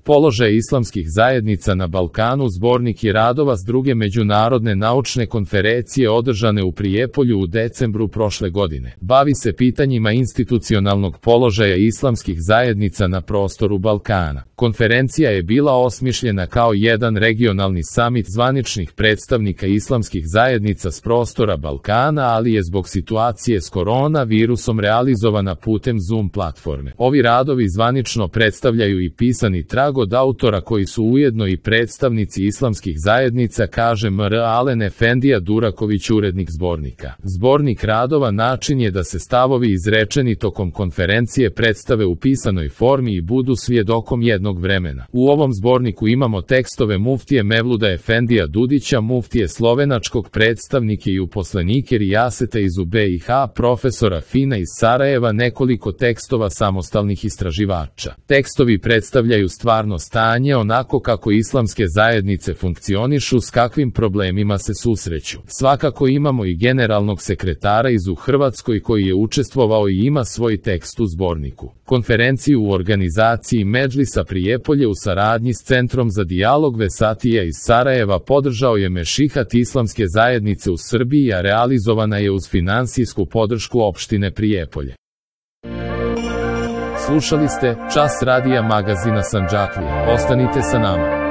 Položaj islamskih zajednica na Balkanu zbornik je radova s druge međunarodne naučne konferencije održane u Prijepolju u decembru prošle godine. Bavi se pitanjima institucionalnog položaja islamskih zajednica na prostoru Balkana. Konferencija je bila osmišljena kao jedan regionalni samit zvaničnih predstavnika islamskih zajednica s prostora Balkana, ali je zbog situacije s koronavirusom realizovana putem Zoom platforme. Ovi radovi zvanično predstavljaju i pisani trag od autora koji su ujedno i predstavnici islamskih zajednica, kaže M.R. Alen Efendija Duraković, urednik zbornika. Zbornik radova način je da se stavovi izrečeni tokom konferencije predstave u pisanoj formi i budu svjedokom jednog vremena. U ovom zborniku imamo tekstove muftije Mevluda Efendija Dudića, muftije slovenačkog predstavnike i uposlenike Rijaseta iz BiH, profesora Fina iz Sarajeva, nekoliko tekstova samostalnih istraživača. Tekstovi predstavljaju stvarno stanje onako kako islamske zajednice funkcionišu, s kakvim problemima se susreću. Svakako imamo i generalnog sekretara iz Hrvatskoj koji je učestvovao i ima svoj tekst u zborniku. Konferenciju u organizaciji Medžlisa Prijepolje u saradnji s Centrom za dijalog Vesatija iz Sarajeva podržao je Mešihat islamske zajednice u Srbiji, a realizovana je uz finansijsku podršku opštine Prijepolje. Slušali ste Čas radija magazina Sandžaklija. Ostanite sa nama.